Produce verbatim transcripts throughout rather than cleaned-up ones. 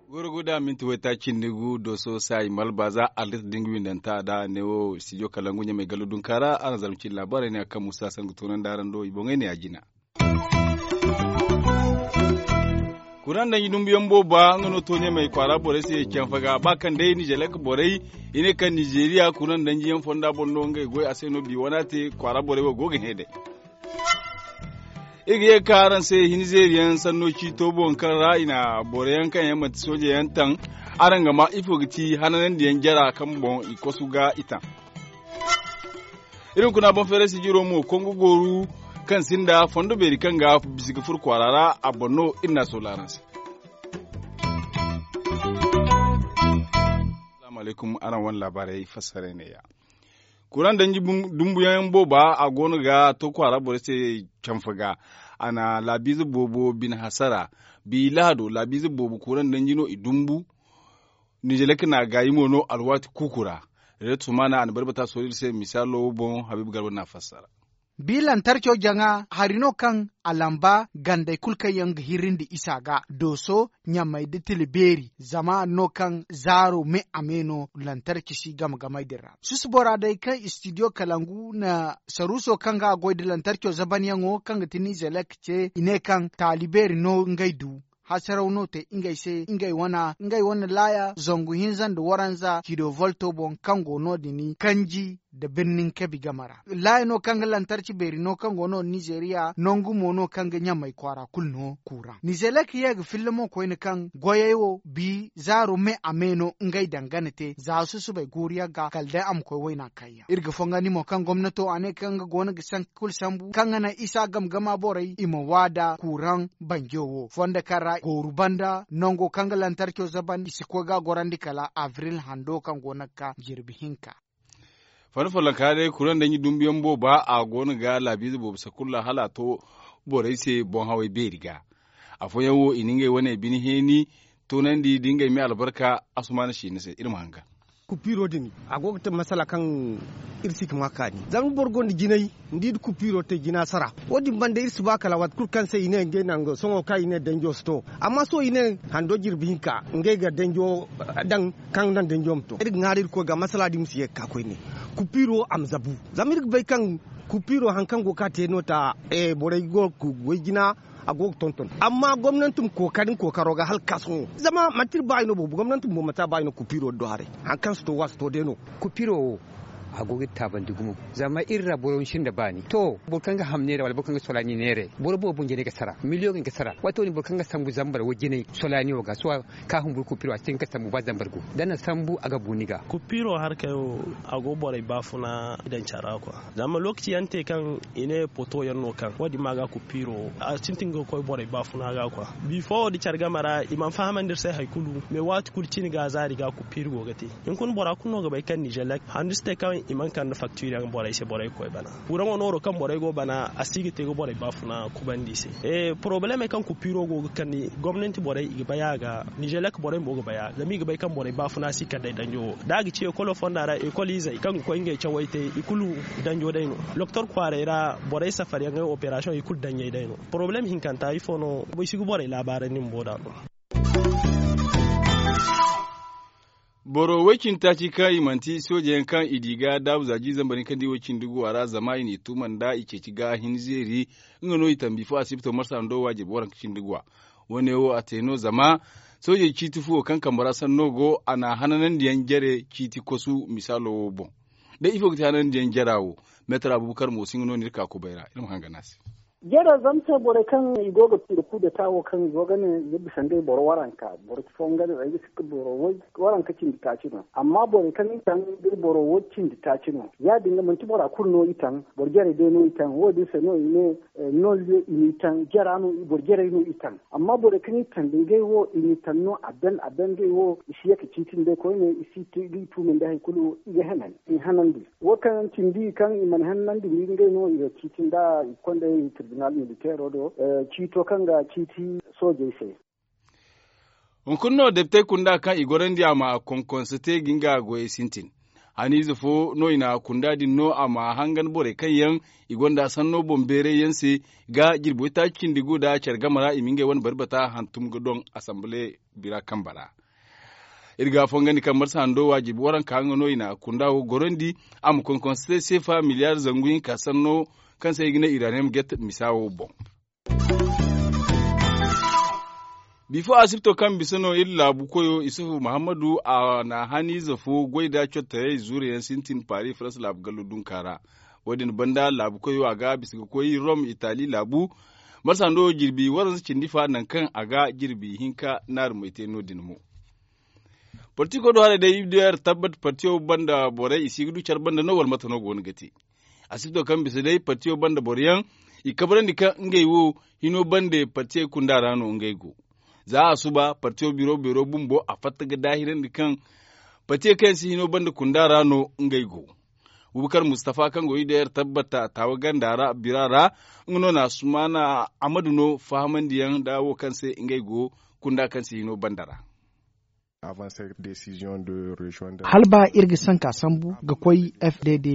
Goro guda minti wayta cindi gu doso saayi malbaza allit dinga windanta da ne wo studio kalangu ɲamay gallo dunka ra araŋ zalma cindi laabaarey ne a kaŋ musa sangu tunandi araŋ do i boŋey ne a jina. Kuraŋ danji dumbuyaŋ booba nga no to ɲamay kwaara borey se canfa ga ba kaŋ day nizelek borey i ne kaŋ nizeriya kuraŋ danjiyaŋ fonda boŋ no ngey goy a se no bi wana te kwaara borey wo go ga hẽ day. Iri ga ye ga ka araŋ se hinzeeriyaŋ sanno ciito boŋ kaŋ ra i na boroyaŋ kaŋ yaŋ manti soojeyaŋ taŋ. Araŋ ga ma ifo ga ti hananandiyaŋ jara kaŋ boŋ i kosu ga i taŋ. Iri hunkuna boŋ feeray sijiro mo kongo gooru kaŋ sinda fondo beeri kaŋ ga bisa ga furo kwaara ra a boŋ no iri n'a soola araŋ se. Salaamu alaykum araŋ wane laabaarey fassaray neeya. Kuraŋ danji dumbuyaŋ booba a go no ga to kwaara borey se canfa ga. A na laabiize boobo bine hasara bi lahado laabiize boobo kuraŋ danji no i dumbu. Nizelek na gaayi mo no alwaati kuuku ra. Reed sumaana a na barbata soodey se misaalo boŋ habiibu garba n'a fassara. Bi lantarco jaŋa hari no kaŋ a lamba gandey kulu kaŋ yaŋ ga hirrindi isa ga dooso ɲamey da tila beeri zama no kaŋ zaaro me a me no lantarci si game-gamey din ra susu bora day kaŋ istidiyo kalangu na saruuso kaŋ ga a goy da lantarco zabanyaŋo kaŋ ga ti nizelek ce i ne kaŋ taali beeri no ngey du. Hasaraw no te ngey se ngey wane laaya zangu hinza nda waranza cido volto boŋ kaŋ go no- din kanji nda birnin kabi game ra. Laaya no kaŋ ga lantarci beeri no kaŋ go no nizeriya nangu mo no kaŋ ga ɲamay kwaara kulu no kuuraŋ nizelek ye ga filla mo koyne kaŋ goyey wo bi zaaro me a me no ngey dangana te za susubay guuru yaŋ ga kala day a ma koy wayna kayyaŋ iri ga fongandi mo kaŋ gomnato a ne kaŋ ga go no ga sanka kulu sambu kaŋ ga naŋ isa game-gama borey i ma waada kuuraŋ banjo wo fondo kaŋ ra gooru banda nango kaŋ ga lantarco zaban i si koy ga a gorandi kala abril hando kaŋ go no ga ka jirbi hinka. Fanda follonka day kuraŋ danji dumbuyaŋ booba a go no ga laabiize boobo sakulla hala a to borey se boŋ-hawey beeri ga. Afooyaŋ wo i na ngey wane bine heeni toonandi nda ngey me albarka. Asumaana siina se iri ma hanga. Kupiiro din a go ga te masala kaŋ iri si ga ma kaani zama boro gonda jinay ni di nda kupiiro te jina sara. Wo- din banda iri si ba kala waati kulu kaŋ se i ne ngey nango sohõ kaŋ i ne danjo si to. Amma sohõ i ne hando jirbi hinka ngey ga danjo daŋ kaŋ ga naŋ danjo ma to iri ga ŋwaaray iri koy ga masala din ma si ye ga ka koyne. Kupiiro a ma zabu zama iri ga bay kaŋ kupiiro hari kaŋ go ga ka te no ta borey go ga goy jina. A go ga tonton amma gomnanti ma kookari nga kookaro ga hala ga ka sohõ zama manti iri baayi no boobo gomnanti bumbo manti a baayi no kupiiro din do haray. Hari kaŋ si to wo a si to day no. Kupiiro wo a go ga iri taabandi gumo zama iri ra boro sinda baani to boro kaŋ ga ham neera wala boro kaŋ ga solaani neera boro boobo boŋ jinay ga sara miliyoŋey ga sara waati wo- din boro kaŋ ga sambu zambar wo jinay solaani wo ga sohõ ka humburu kupiiro a si hin ga sambu ba zambar go da a na sambu a ga bu ni ga. Kupiiro harkey wo a go borey baafuna daŋ care ra kwa. Zama lookaci yaŋ te kaŋ i ne poto yaŋ no kaŋ wo- din ma ga kupiiro a sintin ga koy borey baafuna ga kwa. Bifo wo da care game ra i mana fahamandi iri se hari kulu mais waati kulu cine ga zaari ga kupiiri go ga te. Hunkuna bora kulu no ga bay kaŋ nizelek handu si te kaŋ i mana kande faktiiri yaŋ borey se borey ga koy bana. Kuraŋo nooro kaŋ borey go bana a si ga te ga borey baafuna kubandi i se. Porobalemey kaŋ kupiiro go ga kande gomnanti borey i ga bay a ga nizelek borey mo ga bay a ga zama i ga bay kaŋ borey baafuna si kande danjo wo da a ga ci ekolo fonda ra ekol izey kaŋ ga koy ngey cawey te i kulu danjo day no. Loktor kwaaray ra borey safar yaŋ ay operasiyoŋ i kulu daŋ ɲey day no. Porobalem hinkanta ifo no? Boro si ga borey laabaarandi bumbo da no. Boro way-cindi taaci kaŋ i manti sooje yaŋ kaŋ i di ga daabu za jiiri zambar hinka nda i way-cindi guwa ra zama i n'i tuuma nda i ceeci ga hinzeeri. Nga no i tambi fo asibito marsa ndo waajib waranka cindi guwa. Wo- ne wo a te no zama soojey ciiti fuwo kaŋ kambe ra sanno go a na hananandiyaŋ jare ciiti kosu misaalo wo boŋ. Day ifo ga ti hananandiyaŋ jara wo? Meetar abubakar mo si nga no no iri ka kubay ra iri ma hanga no a se. Jare zama se borey kaŋ i go ga tira kudeta wo kaŋ i go ga ne nga bisa ngey boro waranka boro fo nga ne ay ga sikka boro waranka cindi taaci no amma borey kaŋ i taŋ nga boro wo cindi taaci no ya- din ga manti bora kulu no i taŋ. Boro jarey day no i taŋ wo- din se no i ne nolliyo i n'i taŋ jara no boro jarey no i taŋ. Amma borey kaŋ i taŋ da ngey wo i n'i taŋ no a ben a ben ngey wo i si ye ga ciiti nd'ey koyne i si ga i tuumandi hari kulu i ga henan i hanandi. Wo kaŋ cindi kaŋ i mana hennandi ni ngey no i ga ciiti nda i kondey tirbinal militeero do ciito kaŋ ga ciiti soojey se. Hunkuna no depitey kunda kaŋ i gorandi a ma konkonse te ga nga goyey sintin. Haniize fo no i na kunda din no a ma hangan borey kaŋ yaŋ i gonda sanno boŋ beeray yaŋ se ga jirbi waytaaci cindi gu nda care game ra i ma ngey wane bari bata hantum ga doŋ asanbale bira kambe ra. Iri ga fongandi kaŋ marsa hando wa jirbi waranka nga no i na kunda wo gorandi a ma konkonse seefa miliyaar zangu hinka sanno kaŋ se i ga ne iraniyam get misa wo boŋ. Bifo asibto kaŋ bisa no iri laabu koyo isufu muhammadu a na haniize fo goy nda cottoyaŋ zuure yaŋ sintin paris farans laabu gallo dunka ra. Wo- din banda laabu koyo a ga bisa ga koy rom itali laabu marsa hando jirbi waranza cindi fa nangu kaŋ a ga jirbi hinka naaru may te no- din mo. Parti koy do haray day iri du yaŋ iri tabbat partiyo banda borey i si ga du care banda no wala mate no go no ga te. Asibto kaŋ bisa day partiyo banda boro yaŋ i kabrandi kaŋ ngey wo hino banda partiyey kunda ra no ngey go. Za a suba partiyo biro beero bumbo a fatta ga daahirandi kaŋ partiyey kaŋ yaŋ si hino banda kunda ra no ngey go. Bubakar mustafa kaŋ go iri day iri tabbata taawa ganda ra bira ra nga no na sumaana amadu no fahamandiyaŋ nda wo kaŋ se ngey go kunda kaŋ si hino banda ra. Hala ba iri ga sanka sambu ga koy f d d,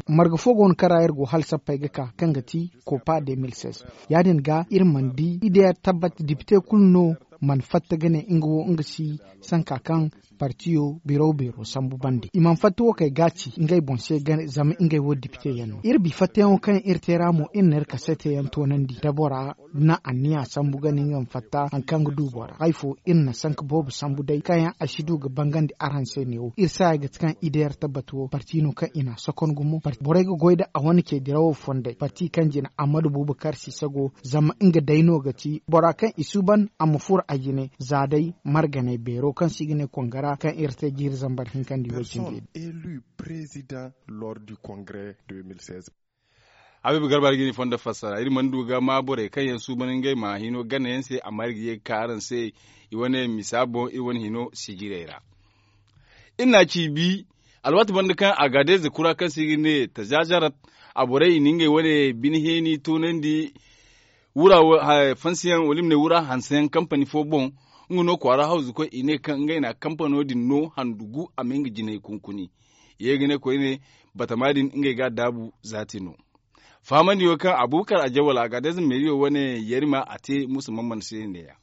marga fo go no kaŋ ra iri go hala sappey ga ka kaŋ ga ti kopa deux mille seize. Ya- din ga iri mana di iri day iri tabbat dipite kulu no mana fatta ga ne nga wo nga si sanka kaŋ partiyo biro beero sambu bande i mana fatta wo kay ga ci ngey boŋ se zama ngey wo dipite yaŋ no iri bi fattayaŋo kaŋ iri te ra mo iri na iri kaseete yaŋ toonandi da bora na anniya sambu ga ne nga ma fatta hari kaŋ ga du bora hari fo iri na sanka boobo sambu day kaŋ yaŋ a si du ga bangandi araŋ se neewo iri saaya ga ti kaŋ ideer tabbat wo parti no kaŋ i na a sokon gumo borey ga goy nda a wane ce dirawo fondey parti kaŋ jina ammadu bubakar sisago zama nga day no ga ti bora kaŋ i suuban a ma furo a jine za day marganey beero kaŋ se i ga ne kongara kaŋ iri te jiiri zambar hinkandi way cindi. Habiibu garba iri ga ni fondo fassara iri mana du ga ma borey kaŋ yaŋ suuban ngey ma hino gana yaŋ se amma iri ga ye ga ka araŋ se i wane misa boŋ iri wane hino sijirey ra. Iri na ci bi alwaati banda kaŋ a ga deeze kura kaŋ se i ga ne tazazarat a borey i na ngey wane bine heeni toonandi wura fansiyaŋ wala i ma ne wura hanseyaŋ kampani fo boŋ. Nga no kwaara hawzu koy i ne kaŋ ngey na kampano din no handu gu a ma nga jinay kunkuni. Ye ga ne koyne batama din ngey ga a daabu zaati no. Fahamandi wo kaŋ abubakar a jawal a ga a deeze meeriyo wane yarima a te musa mamman se ne- ya.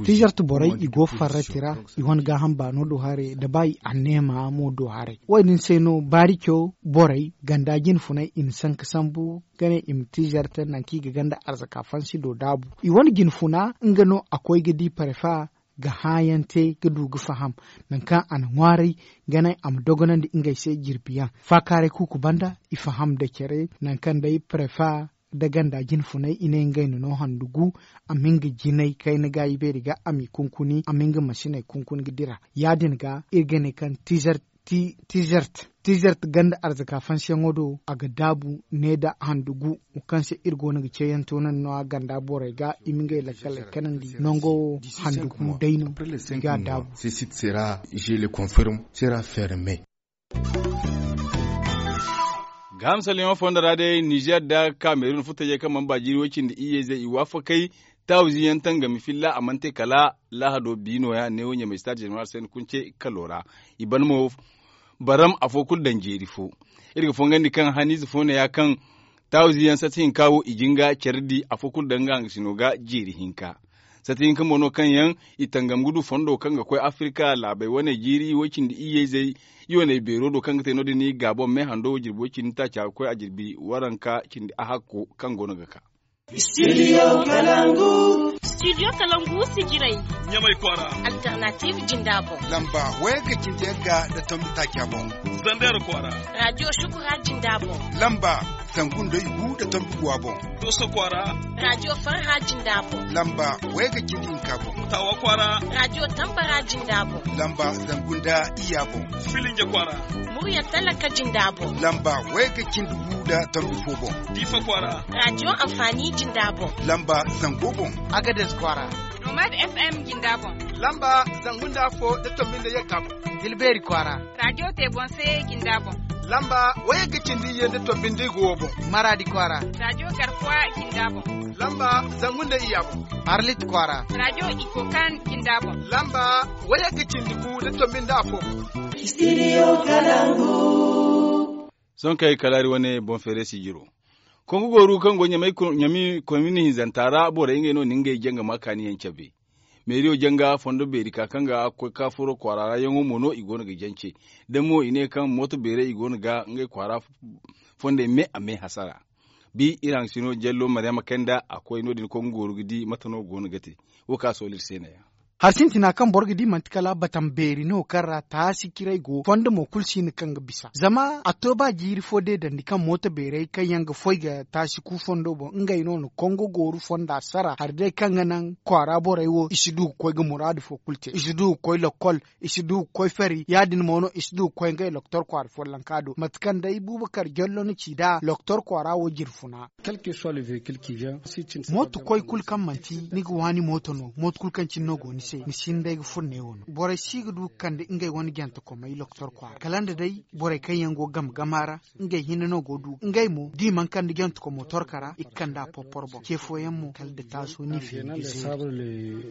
Tizart borey i go farrati ra i wane gaaham baano do haray da ba i anneema mo do haray wo- din se no baarico borey ganda jinfunay i na sanka sambu ga ne i ma tizart nangu kaŋ i ga ganda arzaka fansi do daabu i wane jinfuna nga no a koy ga di parefa ga hãayaŋ te ga du ga faham nangu kaŋ a na ŋwaaray ga naŋ a ma dogonandi ngey se jirbiyaŋ faakaaray kuuku banda i faham da care nangu kaŋ day parefa nda ganda jinfunay i ne ngey na no handu gu a ma nga jinay kayna gaayi beeri ga a m'i kunkuni a ma nga masiney kunkuni ga dira ya- din ga iri ga ne kaŋ tizart tizart ganda arzaka fansiyaŋo do a ga daabu ne nda handu gu wo kaŋ se iri go no ga ceeyaŋ toonandi no- ya ganda borey ga i ma ngey lakkaley kanandi nango wo handu gu day no i ga a daabu. Gaaham salliyaŋo fondo ra day nizer nda kamerun futtajey kaŋ mana ba jiiri way cindi iyye-izey i waafakey taawizi yaŋ tangami filla a mana te kala lahado bi nooya neewo ɲamay stade general se ni kunce kalo ra. I ban mo baram afo kulu daŋ jeeri fo. Iri ga fongandi kaŋ haniize fo ne ya kaŋ taawizi yaŋ sati hinka wo i jin ga care di afo kulu daŋ nga hangasino ga jeeri hinka. Sati hinka mo no kaŋ yaŋ i tangam ga du fondo kaŋ ga koy afirka laabey wane jiiri way cindi iyye-izey i wane beero do kaŋ ga te no- din gaabon me hando jirbi way cindi taaca ga koy a jirbi waranka cindi a hakko kaŋ go no ga ka. Studio kalangu. Studio kalangu sijirey ɲamay kwaara. Alternative jinda boŋ. Lamba wayga cindi yagga nda tombi taaca boŋ. Zander kwaara. Radio shukura jinda boŋ. Lamba zangu nda igu nda tombi guwa boŋ. Doso kwaara. Radio farha jinda boŋ. Lamba wayga cindi hinka boŋ. Tawa kwaara. Radio tambara jinda boŋ. Lamba zangu nda iyya boŋ. Filinja kwaara. Murya talaka jinda boŋ. Lamba wayga cindi gu nda tombi fo boŋ. Diifa kwaara. Radio amfani jinda boŋ. Lamba zango boŋ. Agades kwaara. Nomad f m jinda boŋ. Lamba zangu nda afo nda tombi nda yagga boŋ. Tilbeeri kwaara. Radio te boŋ se jinda boŋ. Lamba wayagga cindi iyye nda tombi nda igu wo boŋ. Maraadi kwaara. Rajo garkuwa jinda boŋ. Lamba zangu nda iyya boŋ. Arlit kwaara. Rajo ikokan jinda boŋ. Lamba wayagga cindi gu nda tombi nda afo boŋ. Sohõ kaŋ ay kalaari wane boŋ feere sijiro. Kongu gooru kaŋ go ɲami komin hinzanta ra borey ngey no na ngey janga ma kaani yaŋ cabe. Meeriyo janga fondo beeri ka kaŋ ga koy ka furo kwaara ra yaŋo mo no i go no ga jance. Da mo i ne kaŋ mooto beerey i go no ga ngey kwaara fondey me a me hasara. Bi iri haŋ sino jallo maryama kanda a koy no- din kongu gooru ga di mate no go no ga te. Wo ka sooli iri se neeya. Hari sintina kaŋ boro ga di manti kala batam beeri no kaŋ ra taasi ciray go fondo mo kulu si hin kaŋ ga bisa zama a to ba jiiri fo deedandi kaŋ mooto beerey kaŋ yaŋ ga foy ga taasi ku fondo boŋ ngey no na kongo gooru fonda sara hari day kaŋ ga naŋ kwaara borey wo i si du ga koy ga muraadu fo kulu te i si du ga koy lokkol i si du ga koy fari ya- din mo no i si du ga koy ngey loktor kwaara follonka do mate kaŋ day buubakar jallo na ci nd'a loktor kwaara wo jirfuna. Mooto koy kulu kaŋ manti ni ga waani mooto no mooto kulu kaŋ cine no go ni se ni si hin day ga furo neewo no borey si ga du ga kande ngey wane jantekomey loktor kwaara kala nda day borey kaŋ yaŋ go game gama ra ngey hinne no go du ngey mo da i mana kande jantekomo torka ra i ga kande a porporo boŋ ce fooyaŋ mo kala da taaso ni feeri ga zeeri.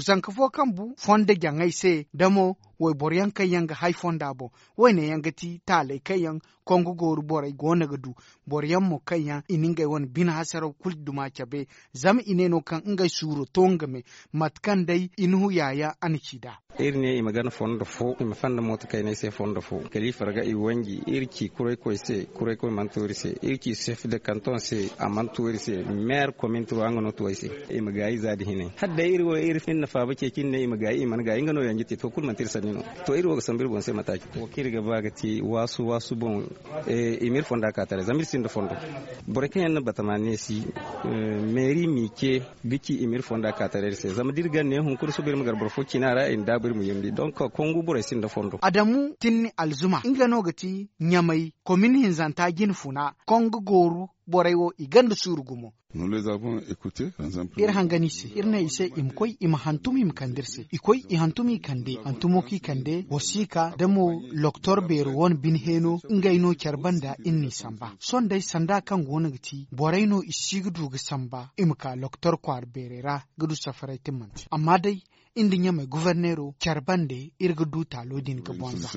Zanka fo kaŋ bu fondo jaŋay se da mo wayboro yaŋ kaŋ yaŋ ga hay fonda boŋ. Wayne yaŋ ga ti taaley kaŋ yaŋ kongo gooru borey go no ga du boro yaŋ mo kaŋ yaŋ i na ngey wane bine hasaraw kulu duma cabe. Zama i ne no kaŋ ngey suuro to nga me mate kaŋ day i na hu yaayaŋ a na ci nd'a. Iri ne i ma gana fondo fo i ma fanda mooto kayney se fondo fo kala i farga i wanji iri ci kuraykoy se kuraykoy mana to iri se iri ci sef de kanton se a mana to iri se. Meere komin turu nga no to ay se i ma gaayi za nda hinay hala day iri wo iri hinne faaba ceeci nda ne i ma gaayi i mana gaayi nga no yanje te to kulu manti iri sanni no. To iri wo ga sambu iri boŋ se mate a ci wo kaŋ iri ga ba ga te waasu waasu boŋ. I ma iri fonda ka taray zama iri sinda fondo. Borey kaŋ yaŋ na batama neesi meeri m'i ce ga ci i ma iri fonda ka taray iri se zama da iri gana ne hunkuna sohõ iri ma gar boro fo cina ra i na daabu iri ma yumndi donk kongu borey sinda fondo. Adamu tinni alzuma nga no ga ti ɲamay komin hinzanta jine funa kongu gooru borey wo i gonda suuru gumo. Iri hangan i se iri ne i se i ma koy i ma hantum i ma kande iri se i koy i hantum i kande hantumo kaŋ i kande wasiika da mo loktor beero wane bine heeno ngey no care banda iri n'i samba sohõ day sanda kaŋ go no ga ti borey no i si ga du ga samba i ma ka loktor kwaara beerey ra ga du safaray te manti amma day iri nda ɲamey goforneero care bande iri ga du taalo din ga bonza.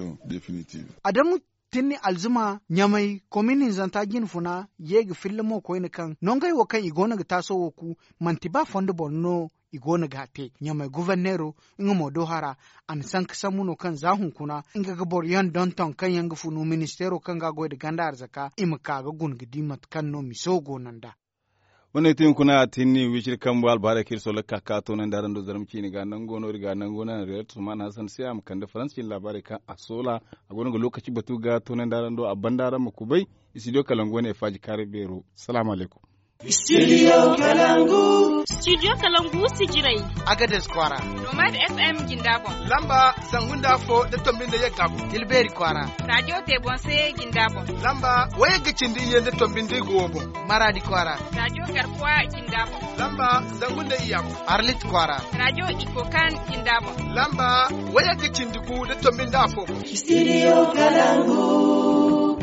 Adamu tinni alzuma ɲamay komin hinzanta jine funa ye ga filla mo koyne kaŋ nongey wo kaŋ i go no ga taaso wo ku manti ba fondo boro no i go no ga a te ɲamay goforneero nga mo do hara a na sanka sambu no kaŋ za hunkuna nga ga boro yaŋ donton kaŋ yaŋ ga funu ministeero kaŋ ga a goy nda ganda arzaka i ma ka ga guna ga di mate kaŋ no miso go no nd'a. Wane ti hunkuna a tinni wiciri kambu albaharay kaŋ iri solla ga ka ka toonandi araŋ do zarma ciine ga nango no iri ga nango naŋ reer tusman hasan se a ma kande faransa ciine laabaarey kaŋ a soola a go no ga lookaci batu ga toonandi araŋ do a banda araŋ ma kubay. Istidiyo kalangu wane faaji kaari beero. Salaamu alaykum. Istidiyo kalangu. Istidiyo kalangu sijiray. Agades kwaara. Nomad fm jinda boŋ. Lamba zangu nda afo da tombi nda yagga boŋ. Tilbeeri kwaara. Rajo tebonse jinda boŋ. Lamba wayagga cindi iyye nda tombi nda igu wo boŋ. Maraadi kwaara. Rajo garkuwa jinda boŋ. Lamba zangu nda iyya boŋ. Arlit kwaara. Rajo ikokan jinda boŋ. Lamba wayagga cindi gu nda tombi nda afo boŋ. Istidiyo kalangu.